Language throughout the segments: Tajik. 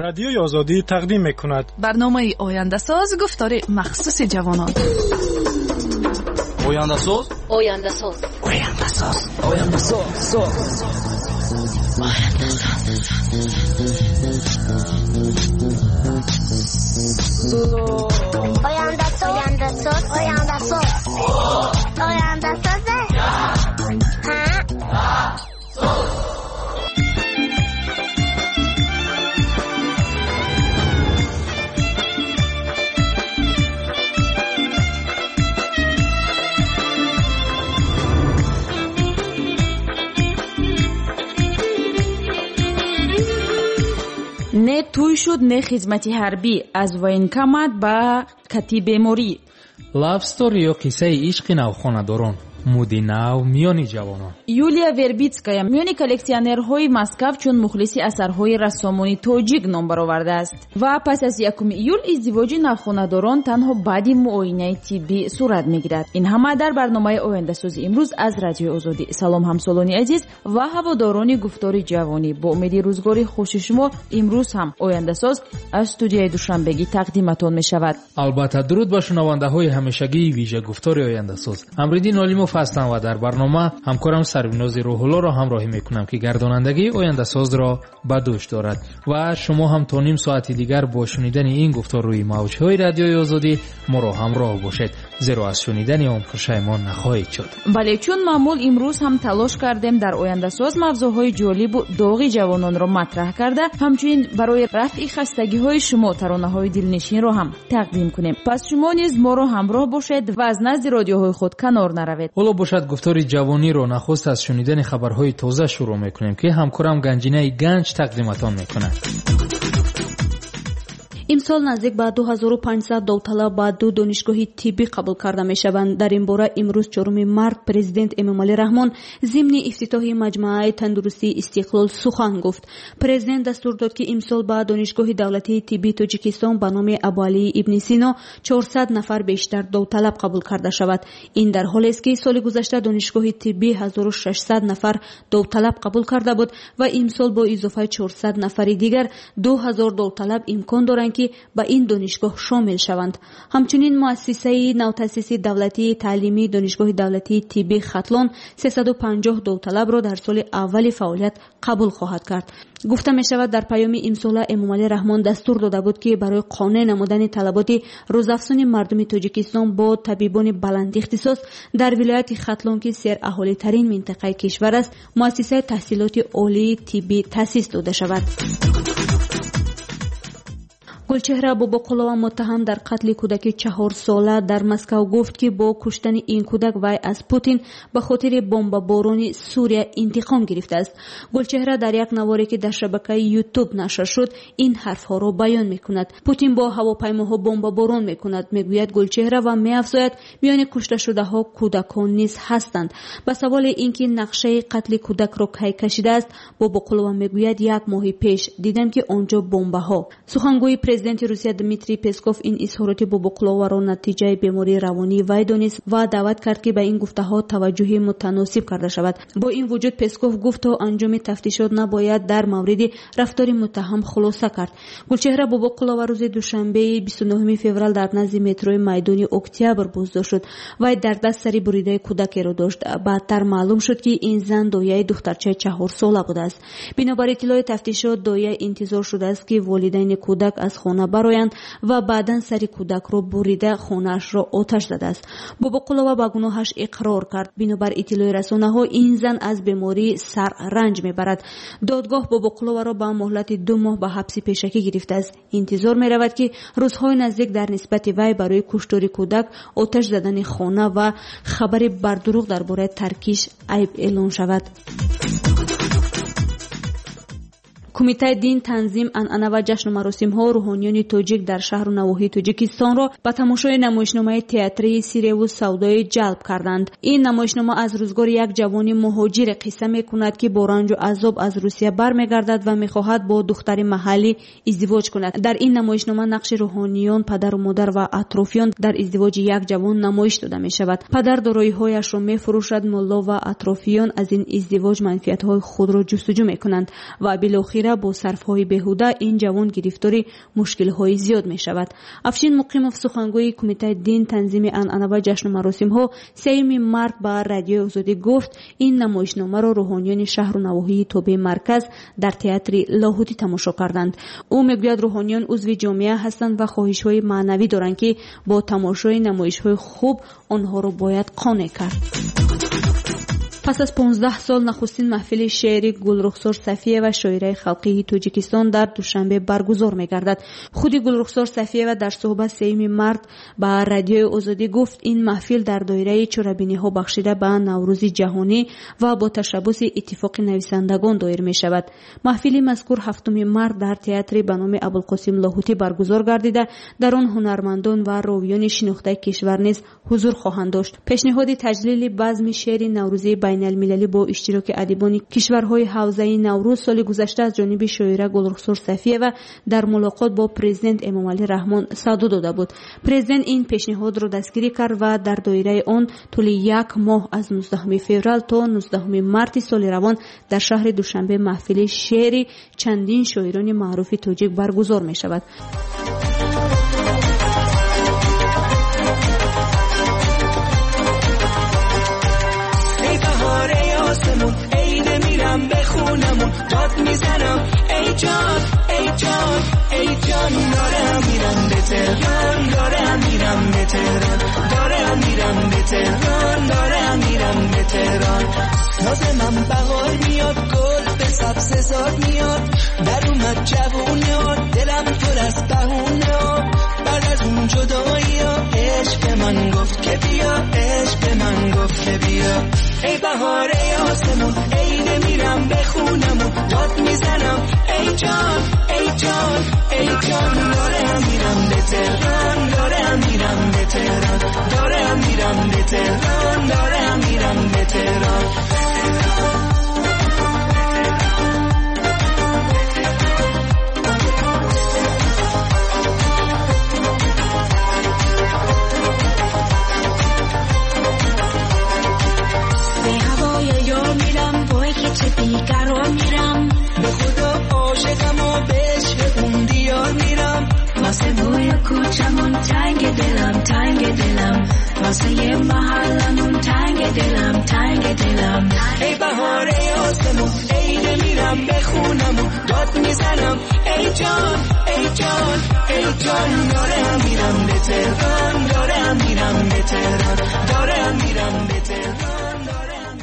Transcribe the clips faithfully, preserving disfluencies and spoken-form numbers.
Радиои Озодӣ тақдим мекунад барномаи Ояндасоз, гуфтори махсуси ҷавонон. Ояндасоз, Ояндасоз, Ояндасоз, Ояндасоз, Ояндасоз, Ояндасоз, Ояндасоз, Ояндасоз. Не тӯй шуд, не хизмати ҳарбӣ, аз военкомат ба кати беморӣ. Love story ё қиссаи ишқи навхонадорон, муди нав миёни ҷавонон. Юлия Вербитская миёни коллексионерҳои Москав чун мухлиси асарҳои рассомони тоҷик ном баровардааст ва пас аз якуми июл издивоҷи навхонадорон танҳо баъди муоинаи тиббӣ сурат мегирад. Ин ҳама дар барномаи Ояндасози имрӯз аз Радиои Озодӣ. Салом ҳамсолони азиз ва ҳаводорони гуфтори ҷавонӣ. Бо умеди рӯзгори хуши шумо имрӯз ҳам Ояндасоз аз студияи Душанбегӣ тақдиматон мешавад. Албатта, дуруд ба шунавандаҳои ҳамешагии вижа гуфтори Ояндасоз. Амриддин Олимов ҳастам ва дар барнома ҳамкорам Сарвинози Рӯҳуллоро ҳамроҳӣ мекунам, ки гардонандагии Ояндасозро ба дӯш дорад ва шумо ҳам то ним соати дигар бо шунидани ин гуфтор рӯи мавҷҳои Радиои Озодӣ моро ҳамроҳ бошед, зеро аз шунидани он пушаймон нахоҳед шуд. Бале, чун маъмул имрӯз ҳам талош кардем дар Ояндасоз мавзӯъҳои ҷолибу доғи ҷавононро матраҳ карда, ҳамчунин барои рафъи хастагиҳои шумо таронаҳои дилнишинро ҳам тақдим кунем. Пас шумо низ моро ҳамроҳ бошед ва аз назди радиоҳои худ канор наравед. Ҳоло бошад гуфтори ҷавониро нахуст аз шунидани хабарҳои тоза шурӯъ мекунем, ки ҳамкорам Ганҷинаи Ганҷ тақдиматон мекунад. Имсол наздик ба ду ҳазору панҷсад довталаб ба ду донишгоҳи тиббӣ қабул карда мешаванд. Дар ин бора имрӯз чоруми март президент Эмомалӣ Раҳмон зимни ифтитоҳи маҷмӯаи тандурустии Истиқлол сухан гуфт. Президент дастур дод, ки имсол ба донишгоҳи давлатии тиббии Тоҷикистон ба номи Абуалии ибни Сино чорсад нафар бештар довталаб қабул карда шавад. Ин дар ҳолест, ки соли гузашта донишгоҳи тиббӣ ҳазору шашсад нафар довталаб қабул карда буд ва имсол бо изофаи чорсад нафари дигар ду ҳазор довталаб имкон доранд, ки ба ин донишгоҳ шомил шаванд. Ҳамчунин муассисаи навтаъсиси давлатии таълимии донишгоҳи давлатии тиббии Хатлон сесаду панҷоҳ довталабро дар соли аввали фаъолият қабул хоҳад кард. Гуфта мешавад, дар паёми имсола Эмомалӣ Раҳмон дастур дода буд, ки барои қонеъ намудани талаботи рӯзафзуни мардуми Тоҷикистон бо табибони баландихтисос дар вилояти Хатлон, ки сераҳолитарин минтақаи кишвар аст, муассисаи таҳсилоти олии тиббӣ таъсис дода шавад. Гулчеҳра Бобоқулова муттаҳам дар қатли кӯдаки чаҳорсола дар Москав гуфт, ки бо куштани ин кӯдак вай аз Путин ба хотири бомбаборони Сурия интиқом гирифтааст. Гулчеҳра дар як наворе, ки дар шабакаи Ютуб нашр шуд, ин ҳарфҳоро баён мекунад. Путин бо ҳавопаймоҳо бомбаборон мекунад, мегӯяд Гулчеҳра ва меафзояд, миёни кушташудаҳо кӯдакон низ ҳастанд. Ба саволи ин ки нақшаи қатли кӯдакро кай кашидааст, Бобоқулова мегӯяд, як моҳи пеш дидам, ки он ҷо бомбаҳо. Сухангӯи президенти Русия Дмитрий Песков ин изҳороти Бобоқуловаро натиҷаи бемории равонии вай донист ва даъват кард, ки ба ин гуфтаҳо таваҷҷӯҳи мутаносиб карда шавад. Бо ин вуҷуд Песков гуфт, то анҷоми тафтишот набояд дар мавриди рафтори муттаҳам хулоса кард. Гулчеҳра Бобоқулова рӯзи душанбеи бисту нуҳуми феврал дар назди метрои майдони Октябр боздошт шуд. Вай дар даст сари буридаи кӯдакеро дошт. Баъдтар маълум шуд, ки ин зан дояи духтарчаи чаҳорсола будааст. Бинобар иттилои тафтишот, доя интизор шудааст, ки волидайни кӯдак аз хона бароянд ва баъдан сари кӯдакро бурида хонаашро оташ задааст. Бобоқулова ба гуноҳаш иқрор кард. Бинобар иттилои расонаҳо, ин зан аз бемории сар ранҷ мебарад. Додгоҳ Бобоқуловаро ба муҳлати ду моҳ ба ҳабси пешакӣ гирифтааст. Интизор меравад, ки рӯзҳои наздик дар нисбати вай барои куштори кӯдак, оташ задани хона ва хабари бардурӯғ дар бораи таркиш айб эълон шавад. Кумитаи дин, танзим, анъана ва ҷашну маросимҳо рӯҳониёни тоҷик дар шаҳру навоҳии Тоҷикистонро ба тамошои намоишномаи театрии Сиреву савдоӣ ҷалб карданд. Ин намоишнома аз рӯзгори як ҷавони муҳоҷире қисса мекунад, ки бо ранҷу азоб аз Русия бармегардад ва мехоҳад бо духтари маҳаллӣ издивоҷ кунад. Дар ин намоишнома нақши рӯҳониён, падару модар ва атрофиён дар издивоҷи як ҷавон намоиш дода мешавад. Падар дороиҳояшро мефурӯшад, мулло ва атрофиён аз ин издивоҷ манфиатҳои худро ҷустуҷӯ мекунанд ва билохир муболиға бо сарфҳои беҳуда ин ҷавон гирифтори мушкилҳои зиёд мешавад. Афшин Муқимов, сухангӯи Кумитаи дин, танзими анъана ва ҷашну маросимҳо, сеюми март ба Радиои Озодӣ гуфт, ин намоишномаро рӯҳониёни шаҳру навоҳии тобеи марказ дар театри Лоҳутӣ тамошо карданд. Ӯ мегӯяд, рӯҳониён узви ҷомеа ҳастанд ва хоҳишҳои маънавӣ доранд, ки бо тамошои намоишҳои хуб онҳоро бояд қонеъ кард. Пас аз понздаҳ сол нахустин маҳфили шеъри Гулрухсор Сафиева, шоираи халқии Тоҷикистон, дар Душанбе баргузор мегардад. Худи Гулрухсор Сафиева дар суҳбат сеюми март ба Радиои Озодӣ гуфт, ин маҳфил дар доираи чорабиниҳо бахшида ба Наврӯзи ҷаҳонӣ ва бо ташаббуси Иттифоқи нависандагон доир мешавад. Маҳфили мазкур ҳафтуми март дар театри ба номи Абулқосим Лоҳутӣ баргузор гардида, дар он ҳунармандон ва ровиёни шинохтаи кишвар низ ҳузур хоҳанд дошт. Пешниҳоди таҷлили базми шеъри наврӯзии байналмилалӣ бо иштироки адибони кишварҳои ҳавзаи Наврӯз соли гузашта аз ҷониби шоира Гулрухсор Сафиева дар мулоқот бо президент Эмомалӣ Раҳмон садо дода буд. Президент ин пешниҳодро дастгирӣ кард ва дар доираи он тӯли як моҳ аз нуздаҳуми феврал то нуздаҳуми марти соли равон дар шаҳри Душанбе маҳфили шеъри чандин шоирони маъруфи тоҷик баргузор мешавад. داد میزنم ای جان ای جان ای جان، دارم میرم به تهران، دارم میرم به تهران، دارم میرم به تهران، دارم میرم به تهران. نازمم بهار میاد، گل به سبز زار میاد، در اومد جوونه، دلم پر از بهونه، بعد از اون جدایی عشق به من گفت که بیا، عشق به من گفت که بیا. ای بهار ای آسمون، ای نمیرم به خونمون، داد میزنم ای جان ای جان ای جان، دارم میرم به تهران، دارم میرم به تهران، دارم میرم به تهران، دارم میرم به تهران. چه بیقرار میرم، به خدا عاشقم و به عشق اون دیار میرم، واسه بوی کوچمون تنگ دلم تنگ دلم، واسه یه محلمون تنگ دلم تنگ دلم. ای بهار ای آسمون، ای نمیرم به خونمون، داد میزنم ای جان ای جان ای جان، دارم میرم به تهران، دارم میرم به تهران، دارم میرم به تهران.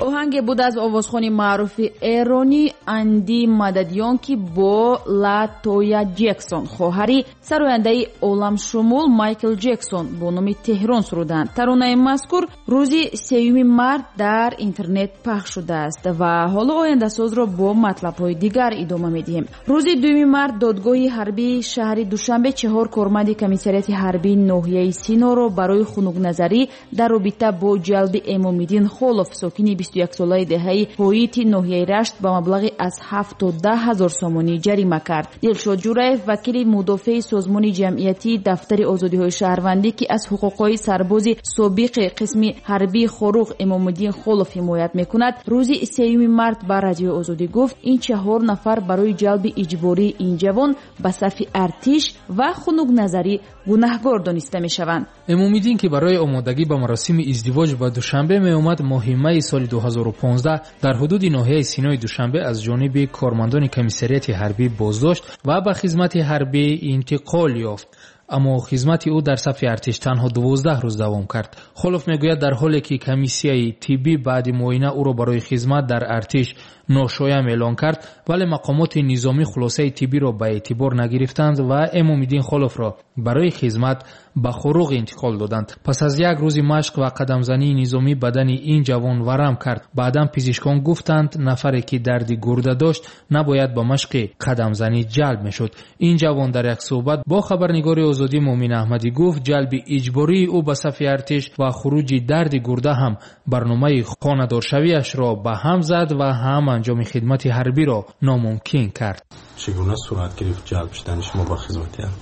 Оҳанге буд аз овозхони маъруфи эронӣ Анди Мададиён, ки бо Ла Тоя Ҷексон, хоҳари сарояндаи оламшумул Майкл Ҷексон, бо номи Теҳрон суруданд. Таронаи мазкур рӯзи сеюми март дар интернет пахш шудааст ва ҳоло ояндасозро бо матлабҳои дигар идома медиҳем. Рӯзи дуюми март додгоҳи ҳарбии шаҳри Душанбе чаҳор корманди комиссариати ҳарбии ноҳияи Синоро барои хунукназарӣ дар робита бо ҷалби Эмомиддин Холов, сокини бисту яксолаи деҳаи Ҳоити ноҳияи Рашт, ба маблағи аз ҳафт то даҳ ҳазор сомонӣ ҷарима кард. Дилшод Ҷураев, вакили мудофеи созмони ҷамъиятии Дафтари озодиҳои шаҳрвандӣ, ки аз ҳуқуқҳои сарбози собиқи қисми ҳарбии Хоруғ Эмомиддин Холов ҳимоят мекунад, рӯзи сеюми март ба Радиои Озодӣ гуфт, ин чаҳор нафар барои ҷалби иҷбории ин ҷавон ба сафи артиш ва хунукназарӣ гунаҳгор дониста мешаванд. Эмомиддин, ки барои омодагӣ ба маросими издивоҷ ба Душанбе меомад, моҳи майи соли ду ҳазору понздаҳ дар ҳудуди ноҳияи Синои Душанбе аз ҷониби кормандони комиссариати ҳарбӣ боздошт ва ба хизмати ҳарбӣ интиқол ёфт. Аммо хизмати ӯ дар сафи артиш танҳо дувоздаҳ рӯз давом кард. Холов мегӯяд, дар ҳоле ки комиссияи тиббӣ баъди муоина ӯро барои хизмат дар артиш ношоям эълон кард, вале мақомоти низомӣ хулосаи тиббиро ба эътибор нагирифтанд ва Эмомиддин Холовро барои хизмат ба Хоруғ интиқол доданд. Пас аз як рӯзи машқ ва қадамзании низомӣ бадани ин ҷавон варам кард. Баъдан пизишкон гуфтанд, нафаре ки дарди гурда дошт набояд ба машқи қадамзанӣ ҷалб мешуд. Ин ҷавон дар як суҳбат бо хабарнигори Озодӣ Муъмин Аҳмадӣ гуфт, ҷалби иҷбории ӯ ба сафи артиш ва хуруҷи дарди гурда ҳам барномаи хонадоршавиашро ба ҳам зад ва ҳам анҷоми хидмати ҳарбиро номумкин кард. Чӣ гуна сурат гирифт ҷалб шудани шумо ба хизмати ҳарбӣ?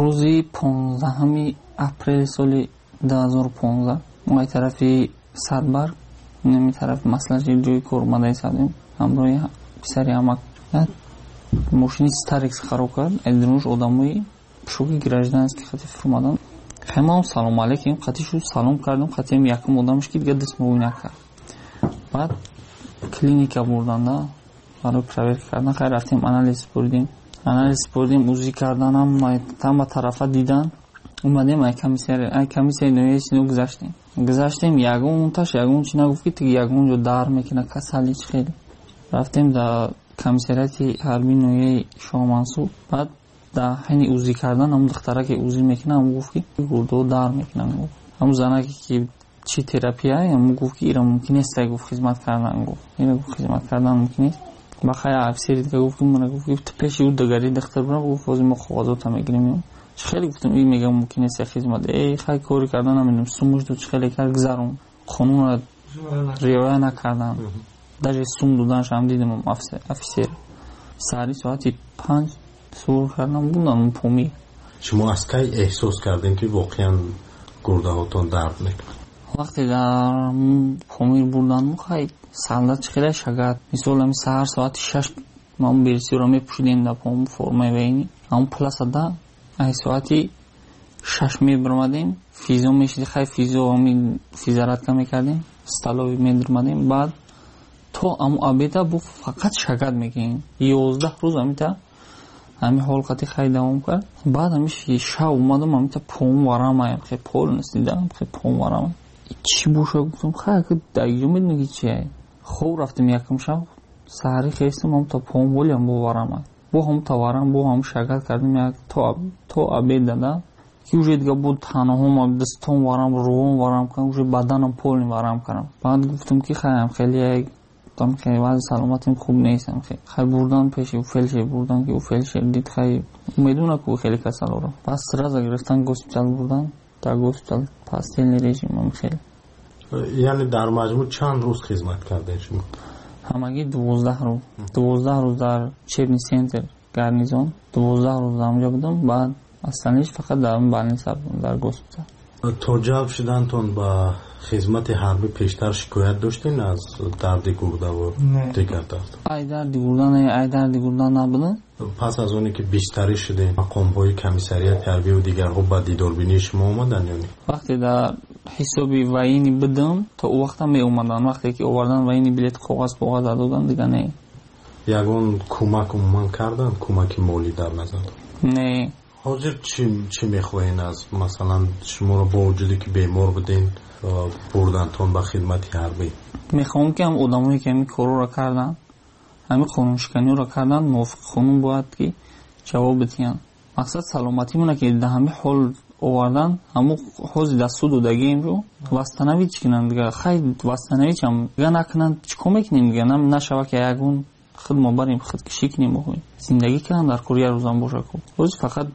Рӯзи понздаҳуми апрели соли ду ҳазору понздаҳ мо аз тарафи Садбарг, нами тарафи маслаҳати ҷои кор омада истодем, ҳамроҳи писари амак. Мошини Старекс хароб кард, айдинуш одамои пушоки гражданский хати фурмадан. Хай ман салом алейкум, хати шу салом кардам, хати ам якум одамш ки дига даст муоина кард. Баъд клиника бурданда барои проверка кардан. Хай рафтем, анализ супурдем. Анализ супурдем, УЗИ карданам, тама тарафа дидан. Омадем ай комиссия, ай комиссияи ноҳияи Сино гузаштем. Гузаштем, ягон таш ягон чи нагуфт ки ягон ҷо дар мекунад, касали чи хеле. Рафтем дар комиссариати ҳарбии ноҳияи Шоҳмансур. Баъд дар ҳайни УЗИ кардан ҳамун духтара ки УЗИ мекунад, ҳамун гуфт ки гурдаҳо дар мекунад. Ҳамун занаке ки чи терапия, ҳамун гуфт ки ира мумкин нест, гуфт хизмат кардан, гуфт ира гуфт хизмат кардан мумкин нест. Ба хай офисери дига гуфт ки мана гуфт ки пеши ӯ дигари духтар бира, гуфт ҳозир мо коғазота мегирем. Чи хеле гуфтам ин мегам мумкин нест хизмат. Эй хай кори кардан намедонам, сумуш дод, чи хеле кард гузарон. Қонунро риоя накардан. Даже сум доданаш ҳам дидам офисер. Саҳари соати панҷ сур кардам, будам Помир. Шумо аз кай эҳсос кардем ки воқеан гурдаҳотон дард мекунад? Вақте дар Помир бурданму хай солдат чи хеле шагат. Мисол ҳами саҳар соати шаш ман берсиро мепӯшидем дар пом формаи военный. Ҳамун пласада ай соати шаш мебиромадем, физо мешиди, хай физо ҳами физаратка мекардем, столовый медиромадем. Баъд то аму обеда бу фақат шагат мекунем. Ёздаҳ рӯз ҳамита ҳами ҳол қати хай давом кард. Баъд ҳами шав омадам, ҳамита пом варамаям, хе полностью дидам, хе пом варамай. Чӣ боша гуфтам, хай ки даиҷо медонӣ ки чие. Хоб рафтем якум шаб, саҳари хестам, ҳамта пом волиам бо варамай. Бо ҳамта варам, бо ҳам шагат кардем як то то обед дада. Ки уже дига бо танаҳом, дастом варам, рувом варам кардам, уже баданам полный варам кардам. Баъд гуфтам ки хаям хеле як гуфтам ки вазъи саломатим хуб нест. Хай бурдан пеши фельдшер, бурдан ки фельдшер дид, хай медона ку хеле касалоро. Пас сразу гирифтан госпитал бурдан, дар госпитал постельный режим хеле. Яъне дар маҷмӯъ чанд рӯз хизмат кардем шумо? Ҳамагӣ дувоздаҳ рӯз. Дувоздаҳ рӯз дар учебный центр гарнизон, дувоздаҳ рӯз дар онҷо будам, баъд остальныйш фақат дар больница будам, дар госпитал. То ҷалб шудантон ба хизмати ҳарбӣ пештар шикоят доштен аз дарди гурда ва дигар дард? Ай дарди гурда не, ай дарди гурда набуда. Пас аз оне ки бистарӣ шудем, мақомҳои комиссариати ҳарбӣ ва дигарҳо ба дидорбинии шумо омаданд ё не? Вақте дар ҳисоби военный будам, то ӯ вақта меомаданд. Вақте ки овардан военный билет коғаз коғаз доданд, дига не. Ягон кӯмак умуман карданд? Кӯмаки молӣ дар назар? Не. Ҳозир чӣ чӣ мехоҳен аз масалан шуморо бо вуҷуде ки бемор буден бурдантон ба хидмати ҳарбӣ? Мехоҳам ки ҳам одамое ки ҳамин корҳоро карданд, ҳамин қонуншиканиҳоро карданд, мувофиқи қонун бояд ки ҷавоб бидиҳанд. Мақсад саломатимона ки дар ҳамин ҳол овардан, ҳамун ҳозир дар суд додагиемро восстановить кунанд дига. Хай восстановить ҳам дига накунанд, чӣ кор мекунем дига? Нашава ки ягон худ мо барем, худкушӣ кунем, зиндагӣ кунанд дар кор як рӯзам боша ку. Ҳозир фақат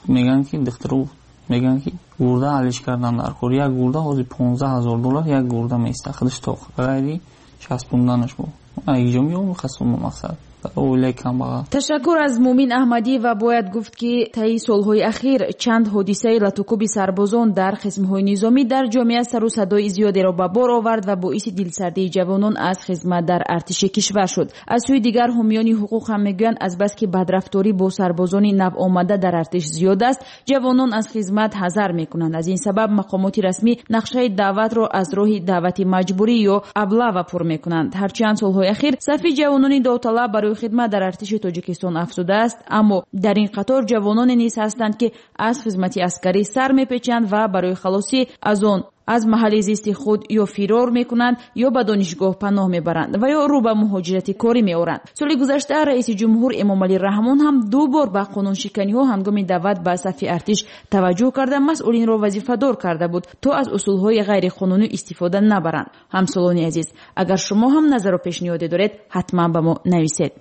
мегӯянд ки духтару мегӯянд ки гурда алиш кардан дар кор. Як гурда ҳозир понздаҳ ҳазор доллар як гурда меиста, худаш тоқ ғайри часпонданаш бо. Айҷо меом хасум мақсад. Оилаи камбағал. Ташаккур аз Мумин Аҳмадӣ ва бояд гуфт ки таи солҳои ахир чанд ҳодисаи латукуби сарбозон дар қисмҳои низомӣ дар ҷомеа сару садои зиёдеро ба бор овард ва боиси дилсардии ҷавонон аз хизмат дар артиши кишвар шуд. Аз сӯи дигар ҳомиёни ҳуқуқ ҳам мегӯянд азбаски бадрафторӣ бо сарбозони навомада дар артиш зиёд аст, ҷавонон аз хизмат ҳазар мекунанд. Аз ин сабаб мақомоти расмӣ нақшаи даъватро аз роҳи даъвати маҷбурӣ ё аблава пур мекунанд. Ҳарчанд солҳои ахир сафи ҷавонони довталаб барои хидмат дар артиши Тоҷикистон афзудааст, аммо дар ин қатор ҷавононе низ ҳастанд ки аз хизмати аскарӣ сар мепечанд ва барои халосӣ аз он аз маҳалли зисти худ ё фирор мекунанд ё ба донишгоҳ паноҳ мебаранд ва ё рӯ ба муҳоҷирати корӣ меоранд. Соли гузашта раиси ҷумҳур Эмомалӣ Раҳмон ҳам ду бор ба қонуншиканиҳо ҳангоми даъват ба сафи артиш таваҷҷӯҳ карда масъулинро вазифадор карда буд то аз усулҳои ғайриқонунӣ истифода набаранд. Ҳамсолони азиз, агар шумо ҳам назару пешниҳоде доред, ҳатман ба мо нависед.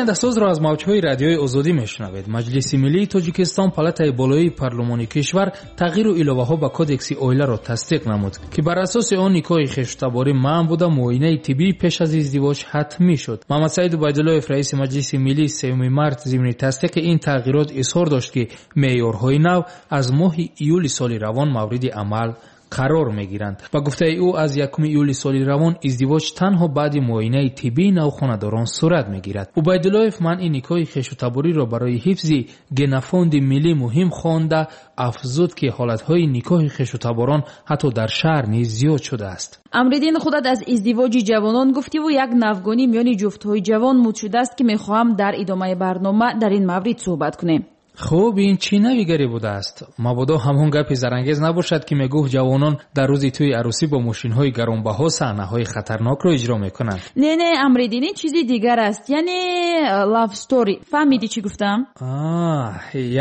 Ояндасозро аз мавҷҳои радиои Озодӣ мешунавед. Маҷлиси миллии Тоҷикистон, палатаи болоии парлумони кишвар, тағйиру иловаҳо ба кодекси оиларо тасдиқ намуд, ки бар асоси он никоҳи хештаборӣ манъ буда, муоинаи тиббӣ пеш аз издивоҷ ҳатмӣ шуд. Муҳаммадсаид Убайдуллоев, раиси Маҷлиси миллӣ, сеюми март зимни тасдиқи ин тағйирот изҳор дошт, ки меъёрҳои нав аз моҳи июли соли равон мавриди амал қарор мегиранд. Ба гуфтаи ӯ, аз якуми июли соли равон издивоҷ танҳо баъди муоинаи тиббии навхонадорон сурат мегирад. Убайдуллоев манъи никоҳи хешутабориро барои ҳифзи генофонди миллӣ муҳим хонда, афзуд, ки ҳолатҳои никоҳи хешутаборон ҳатто дар шаҳр низ зиёд шудааст. Амриддин, худат аз издивоҷи ҷавонон гуфтиву як навгонӣ миёни ҷуфтҳои ҷавон муд шудааст, ки мехоҳам дар идомаи барнома дар ин маврид суҳбат кунем. Хуб, ин чӣ навигарӣ будааст? Мабодо ҳамон гапи зарангез набошад, ки мегуфт ҷавонон дар рӯзи тӯи арӯсӣ бо мошинҳои гаронбаҳо саҳнаҳои хатарнокро иҷро мекунанд. Не, не, Амриддин, ин чизи дигар аст, яъне love story. Фаҳмидӣ чӣ гуфтам?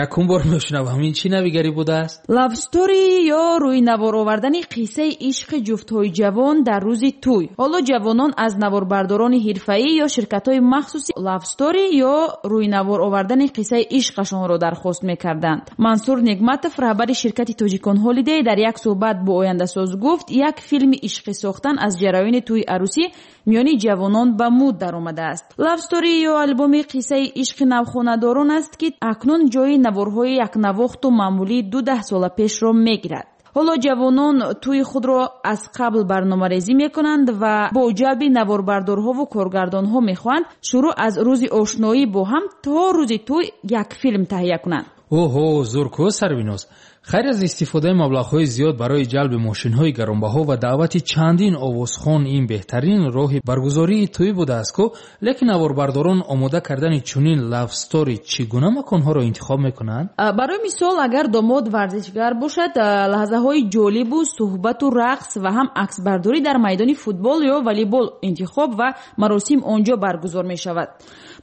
Якум бор мешунавам, ин чӣ навигарӣ будааст? Love story ё рӯи навор овардани қиссаи ишқи ҷуфтҳои ҷавон дар рӯзи тӯй. Ҳоло ҷавонон аз наворбардорони ҳирфаӣ ё ширкатҳои махсуси love story ё рӯи навор овардани қиссаи ишқашонро дархост мекарданд. Мансур Негматов, раҳбари ширкати Тоҷикон Ҳолидей, дар як суҳбат бо Ояндасоз гуфт, як филми ишқӣ сохтан аз ҷараёни тӯи арӯсӣ миёни ҷавонон ба муд даромадааст. Love story ё албоми қиссаи ишқи навхонадорон аст, ки акнун ҷои наворҳои якнавохту маъмулии ду даҳсола пешро мегирад. Ҳоло ҷавонон тӯи худро аз қабл барномарезӣ мекунанд ва бо ҷалби наворбардорҳову коргардонҳо мехоҳанд шурӯъ аз рӯзи ошноӣ бо ҳам то рӯзи тӯй як филм таҳия кунанд. Оҳо, зур-ку, Сарвиноз. Хайр аз истифодаи маблағҳои зиёд барои ҷалби мошинҳои гаронбаҳо ва даъвати чандин овозхон ин беҳтарин роҳи баргузории тӯй будааст ку, лекин наворбардорон омода кардани чунин love story чӣ гуна маконҳоро интихоб мекунанд? Барои мисол, агар домод варзишгар бошад, лаҳзаҳои ҷолибу суҳбату рақс ва ҳам аксбардорӣ дар майдони футбол ё волейбол интихоб ва маросим он ҷо баргузор мешавад.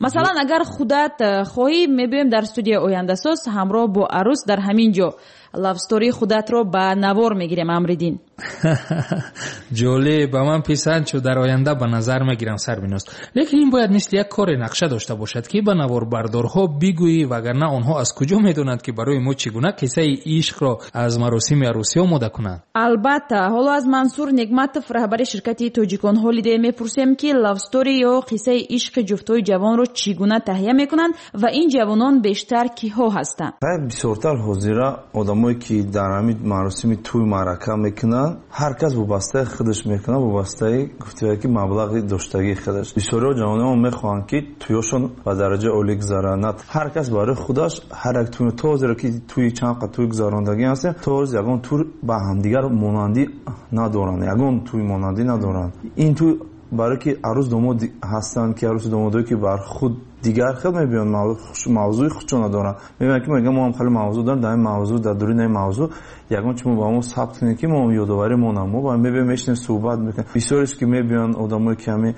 Масалан, агар худат хоҳӣ, мебиёем дар студияи Ояндасоз ҳамроҳ бо арӯс дар ҳамин ҷо love story худатро ба навор мегирем, Амриддин. Ҷолиб, ба ман писанд шуд, дар оянда ба назар мегирам, Сарвиноз. Лекин ин бояд мисли як коре нақша дошта бошад, ки ба наворбардорҳо бигӯӣ, вагарна онҳо аз куҷо медонанд, ки барои мо чӣ гуна қиссаи ишқро аз маросими арӯсӣ омода кунанд. Албатта, ҳоло аз Мансур Негматов, раҳбари ширкати Тоҷикон Ҳолидей, мепурсем, ки love story ё қиссаи ишқи ҷуфтҳои ҷавонро чӣ гуна таҳия мекунанд ва ин ҷавонон бештар киҳо ҳастанд. Бисёртар ҳозира одамое ки дар ҳамин маросими тӯй маърака мекунанд, ҳар кас вобастаи худаш мекунад, вобастаи гуфтия ки маблағи доштагии худаш. Бисёриҳо ҷавононо мехоҳанд, ки тӯёшон ба дараҷаи олӣ гузаронад. Ҳар кас барои худаш ҳар як тӯй, то ҳозира ки тӯи чанд қад тӯй гузарондагӣ ҳастем, то ҳозир ягон тур ба ҳамдигар монандӣ надоранд, ягон тӯй монандӣ надоранд. Ин тӯй барои ки арӯс домод ҳастанд, ки арӯсу домодое ки бар худ дигар хел мебиёнд, мавзӯи худшона доранд. Мебинанд, ки мегӯянд мо ҳам хеле мавзӯъ дорем, дар ин мавзӯъ, дар дуруни ин мавзӯъ ягон чи мо ба мо сабт кунем, ки мо ёдоварӣ монам. Мо ба мебиёем, мешинем, суҳбат мекунем. Бисёреш ки мебиёнд, одамое ки ҳамин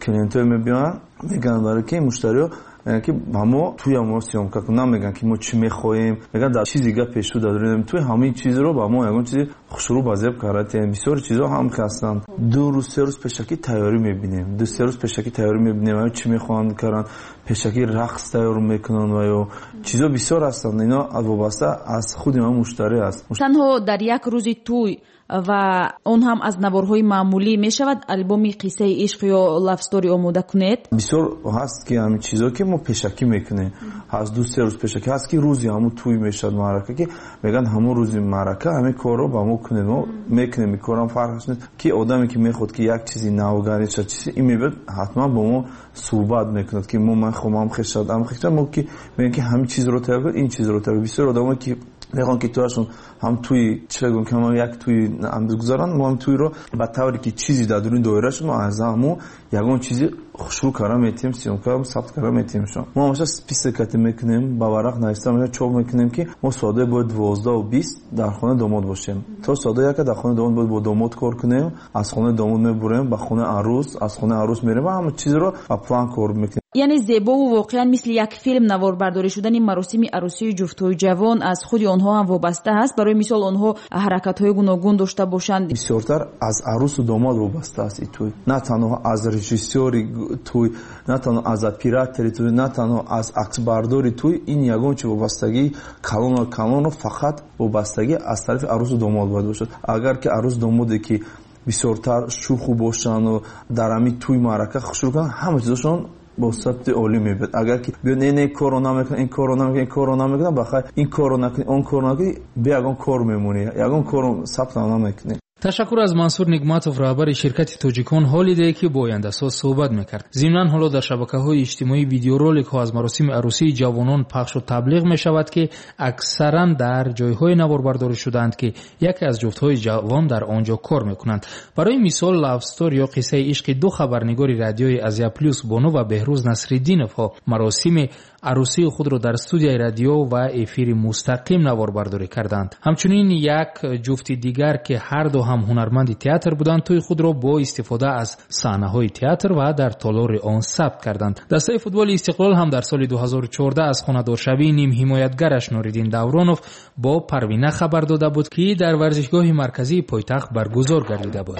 клиентҳое мебиёнд, мегӯянд барои ки муштариҳо мегӯянд, ки ба мо тӯя мо съёмка кун, намегӯянд ки мо чӣ мехоҳем, мегӯянд дар чизи гап пешу дар дуруни тӯй ҳамин чизро ба мо ягон чизи хушрӯ ба зеб карда. Бисёр чизҳо ҳам ҳастанд. Ду рӯз, се рӯз пешакӣ тайёрӣ мебинем, ду се рӯз пешакӣ тайёрӣ мебинем, чӣ мехоҳанд каранд, пешакӣ рақс тайёр мекунанд ва ё чизҳо бисёр ҳастанд. Ино вобаста аз худи мо муштарӣ аст. Танҳо дар як рӯзи тӯй ва он ҳам аз наворҳои маъмулӣ мешавад албоми қиссаи ишқ ё love story омода кунед? Бисёр ҳаст, ки ҳамин чизҳо ки мо пешакӣ мекунем, ҳаст ду се рӯз пешакӣ ҳаст, ки рӯзи ҳамун тӯй мешавад маърака, ки мегӯянд ҳамун рӯзи маърака ҳамин корро ба мо кунед, мо мекунем. Ин корам фарқ нест, ки одаме ки мехоҳад ки як чизи навгари шад, чизи ин мебиёд, ҳатман бо мо суҳбат мекунад, ки мо ман хоҳам ҳам хешад, ҳам хешад, мо ки мегӯем ки ҳамин чизро тайёр кунед, ин чизро тайёр. Бисёр одамое ки мехоҳанд ки тӯяшон ҳам тӯи чӣ гӯям, ки ҳам як тӯи гузаранд, мо ҳам тӯйро ба тавре ки чизе дар дуруни доира шуд, мо аз ҳамон ягон чизи хушрӯ карда метиҳем, съёмка сабт карда метиҳем. Шумо мо ҳамеша список кати мекунем, ба варақ нависта мешавад, чоп мекунем, ки мо соатҳои бояд дувоздаҳу бист дар хонаи домод бошем. То соатҳои яка дар хонаи домод бояд бо домод кор кунем, аз хонаи домод мебурем ба хонаи арӯс, аз хонаи арӯс мерем ва ҳама чизро ба план кор мекунем. Яъне зебову воқеан мисли як филм наворбардорӣ шудани маросими арӯсии ҷуфтҳои ҷавон аз худи онҳо ҳам вобаста аст. Барои мисол, онҳо ҳаракатҳои гуногун дошта бошанд. Бисёртар аз арӯсу домод вобаста аст ин тӯй, на танҳо аз режиссёри тӯй, на танҳо аз оператори тӯй, на танҳо аз аксбардори тӯй. Ин ягон чи вобастагии калону калону фақат вобастагӣ аз тарафи арӯсу домод бояд бошад. Агар ки арӯсу домоде ки бисёртар шӯху бошанду дар ҳамин тӯй маърака хушрӯ кунанд, ҳама чизошон бо сабти олӣ мебиёд. Агар ки биё не не корро намекунам, ин корро намекунам, ин корро намекунам, бахайр ин корро накунӣ, он корро накунӣ, бе ягон кор мемонӣ, ягон корро сабтам намекунӣ. Ташаккур аз Мансур Нигматов, раҳбари ширкати Тоҷикон Ҳолидей, ки бо ояндасоз суҳбат мекард. Зимнан ҳоло дар шабакаҳои иҷтимоӣ видеороликҳо аз маросими арӯсии ҷавонон пахшу таблиғ мешавад, ки аксаран дар ҷойҳое наворбардорӣ шудаанд, ки яке аз ҷуфтҳои ҷавон дар он ҷо кор мекунанд. Барои мисол, love story ё қиссаи ишқи ду хабарнигори радиои Азия Плюс Бону ва Беҳрӯз Насриддиновҳо маросими арӯсии худро дар студияи радио ва эфири мустақим наворбардорӣ карданд. Ҳамчунин як ҷуфти дигар, ки ҳар ду ҳам ҳунарманди театр буданд, тӯи худро бо истифода аз саҳнаҳои театр ва дар толори он сабт карданд. Дастаи футболи Истиқлол ҳам дар соли ду ҳазору чордаҳ аз хонадоршавии нимҳимоятгараш Нуриддин Давронов бо Парвина хабар дода буд, ки дар варзишгоҳи марказии пойтахт баргузор гардида буд.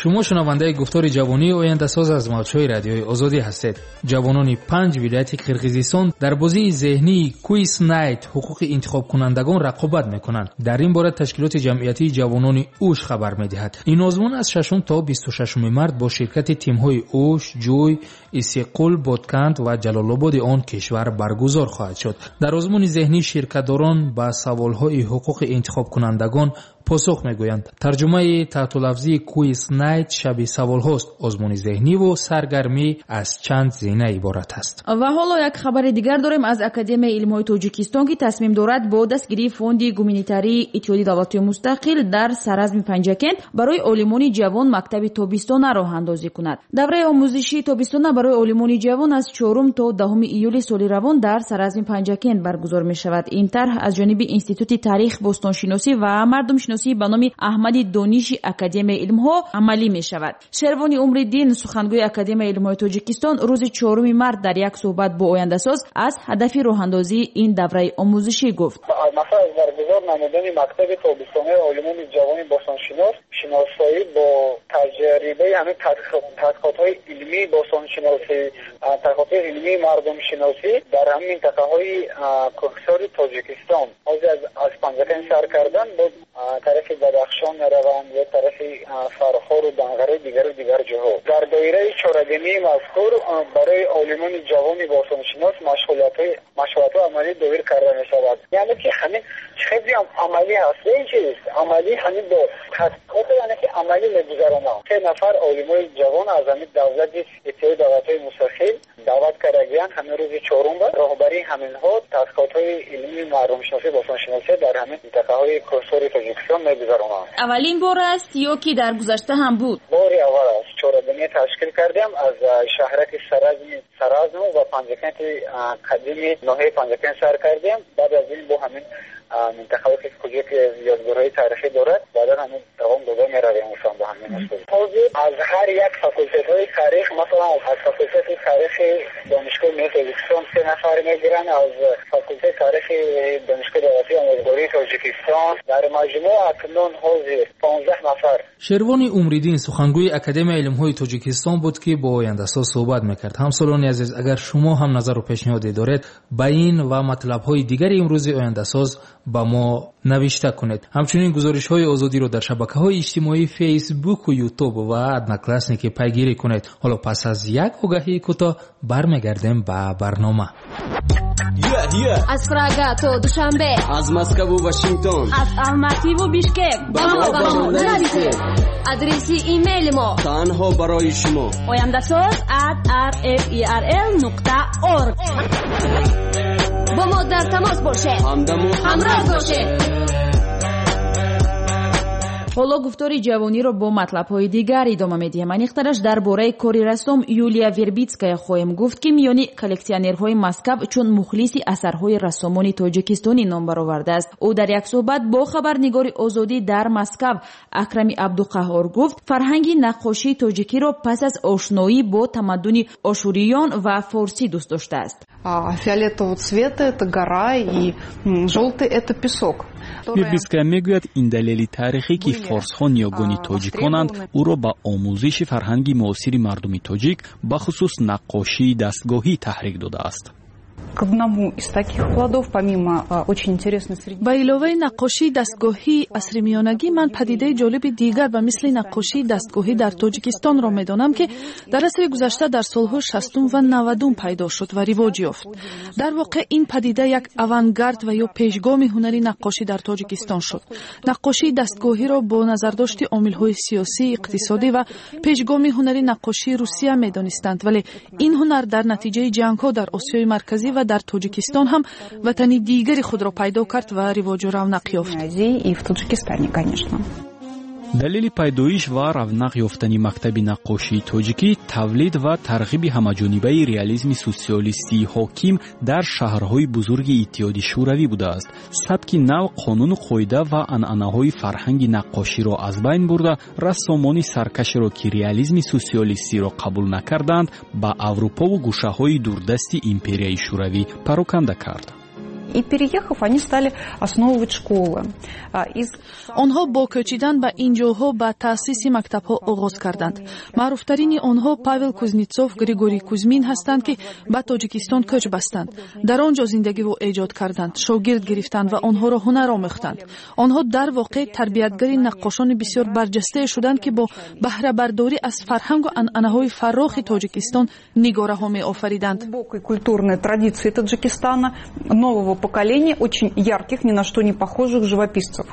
Шумо шунавандаи гуфтори ҷавонии ояндасоз аз мавҷҳои радиои Озодӣ ҳастед. Ҷавонони панҷ вилояти Қирғизистон дар бозии зеҳнии Quiz Night ҳуқуқи интихобкунандагон рақобат мекунанд. Дар ин бора ташкилоти ҷамъиятии ҷавонони Уш хабар медиҳад. Ин озмун аз шашум то бисту шашуми март бо ширкати тимҳои Уш, Ҷӯй, Исиққул, Ботканд ва Ҷалолободи он кишвар баргузор хоҳад шуд. Дар озмуни зеҳнӣ ширкатдорон ба саволҳои ҳуқуқи интихобкунандагон посух мегӯянд. Тарҷумаи таҳтулафзии Quiz Night шаби саволҳост. Озмуни зеҳниву саргармӣ аз чанд зина иборат аст. Ва ҳоло як хабари дигар дорем аз Академияи илмҳои Тоҷикистон, ки тасмим дорад бо дастгирии фонди гуманитарии Иттиҳоди давлатҳои мустақил дар саразми Панҷакент барои олимони ҷавон мактаби тобистона роҳандозӣ кунад. Давраи омӯзишии тобистона барои олимони ҷавон аз чорум то даҳуми июли соли равон дар саразми Панҷакент баргузор мешавад. Ин тарҳ аз ҷониби Институти таърих, бостоншиносӣ ва мардумшиносӣ ба номи Аҳмади Дониши Академияи илмҳо амалӣ мешавад. Шервони Умриддин, сухангӯи Академияи илмҳои Тоҷикистон, рӯзи чоруми март дар як суҳбат бо ояндасоз аз ҳадафи роҳандозии ин давраи омӯзишӣ гуфт. Мақсад аз баргузор намудани мактаби тобистонаи олимони ҷавони бостоншинос шиносоӣ бо таҷрибаи ҳамин тадқиқотҳои илмии бостоншиносӣ, тадқиқотҳои илмии мардумшиносӣ дар ҳамин минтақаҳои кӯҳсори Тоҷикистон. Ҳозир аз Панҷакент сар кардан бо тарафи Бадахшон мераванд ё тарафи Фархору Данғараи дигару дигар ҷоҳо. Дар доираи чорабинии мазкур барои олимони ҷавони бостоншинос машғулиятҳои амалӣ доир карда мешавад. Яъне ки ҳамин хеле амалӣ ҳаст. Ин чиз амалӣ ҳамин бо тадқиқот, яъне ки амалӣ мегузаронанд. Се нафар олимои ҷавон аз ҳамин давлати Иттиҳоди давлатҳои мустақил даъват кардагиянд. Ҳамин рӯзи чорум ба роҳбарии ҳаминҳо тадқиқотҳои илмии мардумшиносӣ бостоншиносӣ дар ҳамин минтақаҳои кӯҳсори Тоҷикистон мегузаронанд. Аввалин бор аст ё ки дар гузашта ҳам буд? Бори аввал аст. Чорабинӣ ташкил кардем аз шаҳраки Саразми Саразму ва Панҷакенти қадими ноҳияи Панҷакент сар кардем. Баъд аз ин бо ҳамин минтақаҳое ки куҷо ки ёдгорҳои таърихӣ дорад, баъдан ҳамин давом дода меравем усан бо ҳамин усул. Ҳозир аз ҳар як факултетҳои таърих, масалан аз факултети таърихи Донишгоҳи миллии Тоҷикистон се нафар мегиранд, аз факултети таърихи Донишгоҳи давлатии омӯзгории Тоҷикистон дар маҷмӯъ акнун ҳозир понздаҳ нафар. Шервони Умриддин, сухангӯи Академияи илмҳои Тоҷикистон буд, ки бо ояндасоз суҳбат мекард. Ҳамсолони азиз, агар шумо ҳам назару пешниҳоде доред, ба ин ва матлабҳои дигари имрӯзи ояндасоз ба мо навишта кунед. Ҳамчунин гузоришҳои Озодиро дар шабакаҳои иҷтимоии Фейсбуку, Ютуб ва Одноклассники пайгирӣ кунед. Ҳоло пас аз як огаҳии кӯтоҳ бармегардем ба барнома. Аз Прага то Душанбе, аз Москву Вашингтон, аз Алмативу Бишкек ба мо ба мо нависед. Адреси имейли мо танҳо барои шумо ояндасоз at r f e r l нуқта org. Бо мо дар тамос бошед, ҳамдаму ҳамроҳ бошед. Ҳоло гуфтори ҷавониро бо матлабҳои дигар идома медиҳем. Аниқтараш дар бораи кори рассом Юлия Вербитская хоҳем гуфт, ки миёни коллексионерҳои Москав чун мухлиси асарҳои рассомони тоҷикистонӣ ном баровардааст. Ӯ дар як суҳбат бо хабарнигори Озодӣ дар Москав Акрами Абдуқаҳҳор гуфт, фарҳанги наққошии тоҷикиро пас аз ошноӣ бо тамаддуни ошуриён ва форсӣ дӯст доштааст. Фиолетового цвета это гора и желтый это песок. Вербитская мегӯяд, ин далели таърихӣ, ки форсҳо ниёгони тоҷиконанд, ӯро ба омӯзиши фарҳанги муосири мардуми тоҷик, бахусус наққошии дастгоҳӣ таҳрик додааст. К одному из таких плодов, помимо очень интересной среди... Ба иловаи наққошии дастгоҳии асри миёнагӣ, ман падидаи ҷолиби дигар ба мисли наққошии дастгоҳӣ дар Тоҷикистонро медонам, ки дар асри гузашта дар солҳои шастум ва навадум пайдо шуд ва ривоҷ ёфт. Дар воқеъ ин падида як авангард ва ё пешгоми ҳунари наққошӣ дар Тоҷикистон шуд. Наққошии дастгоҳиро бо назардошти омилҳои сиёсӣ, иқтисодӣ ва пешгоми ҳунари наққошии Русия медонистанд, вале ин ҳунар дар натиҷаи ҷангҳо дар Осиёи Марказӣ ва дар Тоҷикистон ҳам ватани дигари худро пайдо кард ва ривоҷу равнақ ёфт. Далели пайдоиш ва равнақ ёфтани мактаби наққошии тоҷикӣ тавлид ва тарғиби ҳамаҷонибаи реализми социалистии ҳоким дар шаҳрҳои бузурги Иттиҳоди Шӯравӣ будааст. Сабки нав қонуну қоида ва анъанаҳои фарҳанги наққоширо аз байн бурда, рассомони саркашеро, ки реализми социалистиро қабул накарданд, ба Аврупову гӯшаҳои дурдасти империяи Шӯравӣ пароканда кард. И переехав, они стали основывать школы. Из... Онҳо бо кӯчидан ба ин ҷойҳо ба таъсиси мактабҳо оғоз карданд. Маъруфтарини онҳо Павел Кузнецов, Григорий Кузьмин ҳастанд, ки ба Тоҷикистон кӯч бастанд. Дар он ҷо зиндагиву эҷод карданд, шогирд гирифтанд ва онҳоро ҳунар омӯхтанд. Онҳо дар воқеъ тарбиятгари наққошони бисёр барҷастае шуданд, ки бо баҳрабардорӣ аз фарҳангу анъанаҳои фаррохи Тоҷикистон нигораҳо меофариданд. Культурные традиции Таджикистана, нового поколение очень ярких, ни на что не похожих живописцев.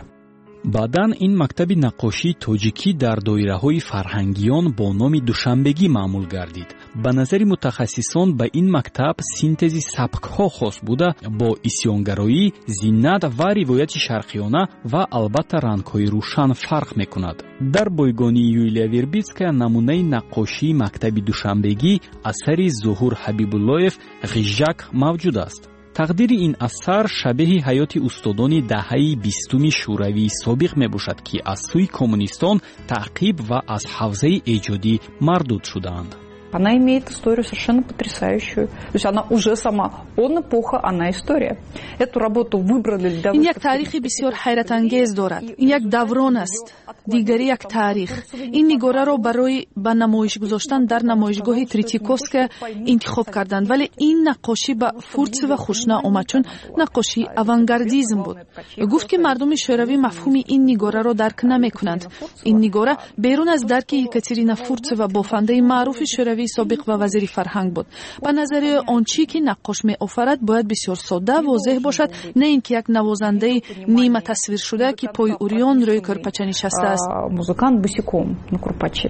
Баъдан ин мактаби наққошии тоҷикӣ дар доираҳои фарҳангиён бо номи душанбегӣ маъмул гардид. Ба назари мутахассисон, ба ин мактаб синтези сабкҳо хос буда, бо исьёнгароӣ, зинат ва ривояти шарқиёна ва албатта рангҳои рӯшан фарқ мекунад. Дар бойгонии Юлия Вербитская намунаи наққошии мактаби душанбегӣ асари Зуҳур Ҳабибуллоев «Ғижжак» мавҷуд аст. Тақдири ин асар шабеҳи ҳаёти устодони даҳаи бистуми Шӯравии собиқ мебошад, ки аз сӯи коммунистон таъқиб ва аз ҳавзаи эҷодӣ мардуд шудаанд. Она имеет историю совершенно потрясающую. То есть она уже сама, он эпоха, она история. Эту работу выбрали для... Ин як таърихи бисёр ҳайратангез дорад. Ин як даврон аст, дигари як таърих. Ин нигораро барои ба намоиш гузоштан дар намоишгоҳи Третьяковская интихоб карданд, вале ин наққошӣ ба Фурцева хуш наомад, чун наққошии авангардизм буд. Гуфт, ки мардуми шӯравӣ мафҳуми ин нигораро дарк намекунанд. Ин нигора берун аз дарки Екатерина Фурцева, бофандаи маъруфи шӯравии собиқ ва вазири фарҳанг буд. Ба назари он чӣ ки наққош меофарад, бояд бисёр содда, возеҳ бошад, на ин ки як навозандаи ниматасвиршуда, ки пои урён рӯи кӯрпача нишастааст. Музыкант босиком на курпаче.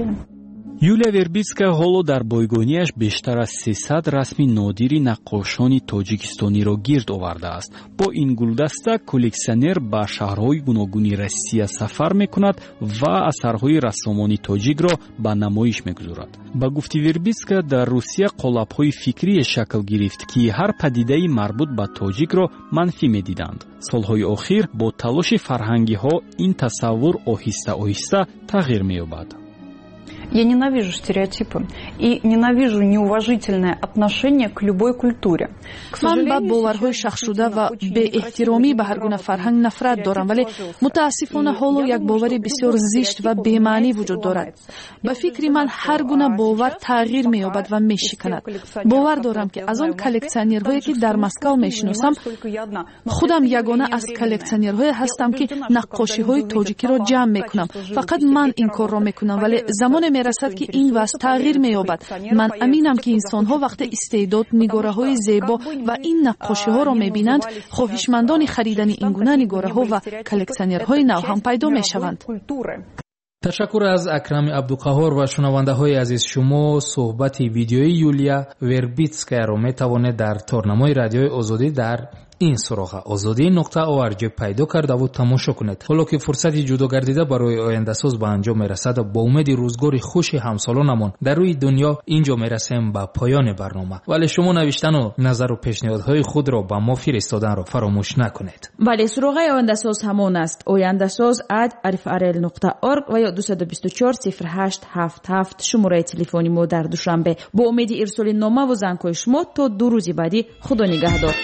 Юлия Вербитская ҳоло дар бойгониаш бештар аз сесад расми нодири наққошони тоҷикистониро гирд овардааст. Бо ин гулдаста коллексионер ба шаҳрҳои гуногуни Россия сафар мекунад ва асарҳои рассомони тоҷикро ба намоиш мегузорад. Ба гуфти Вербитская, дар Русия қолабҳои фикрие шакл гирифт, ки ҳар падидаи марбут ба тоҷикро манфӣ медиданд. Солҳои охир бо талоши фарҳангиҳо ин тасаввур оҳиста оҳиста тағйир меёбад. Я ненавижу стереотипы и ненавижу неуважительное отношение к любой культуре. Ман ба боварҳои шахсшуда ва беэҳтиромӣ ба ҳар гуна фарҳанг нафрат дорам, вале мутаассифона ҳоло як бовари бисёр зишт ва бемаънӣ вуҷуд дорад. Ба фикри ман, ҳар гуна бовар тағйир меёбад ва мешиканад. Бовар дорам, ки аз он коллексионерҳое, ки дар Москав мешиносам, худам ягона аз коллексионерҳое ҳастам, ки наққошиҳои тоҷикиро ҷамъ мекунам. Фақат ман ин корро мекунам, вале замоне мерасад, ки ин вазъ тағйир меёбад. Ман аминам, ки инсонҳо вақте истеъдод, нигораҳои зебо ва ин наққошиҳоро мебинанд, хоҳишмандони харидани ин гуна нигораҳо ва коллексионерҳои нав ҳам пайдо мешаванд. Ташаккур аз Акрами Абдуқаҳҳор ва шунавандаҳои азиз, шумо суҳбати видеои Юлия Вербитскаяро метавонед дар торнамои Радиои Озодӣ дар ин суроға озодӣ нуқта орг пайдо кардаву тамошо кунед. Ҳоло ки фурсати ҷудо гардида барои ояндасоз ба анҷом мерасад, бо умеди рӯзгори хуши ҳамсолонамон дар рӯи дунё инҷо мерасем ба поёни барнома. Вале шумо навиштану назару пешниҳодҳои худро ба мо фиристоданро фаромӯш накунед. Бале, суроғаи ояндасоз ҳамон аст: ояндасоз at rfrl нуқта org ва ё дусаду бисту чор сифр ҳашт ҳафт ҳафт шумораи телефони мо дар Душанбе. Бо умеди ирсоли номаву зангҳои шумо то ду рӯзи баъдӣ Худо нигаҳдор.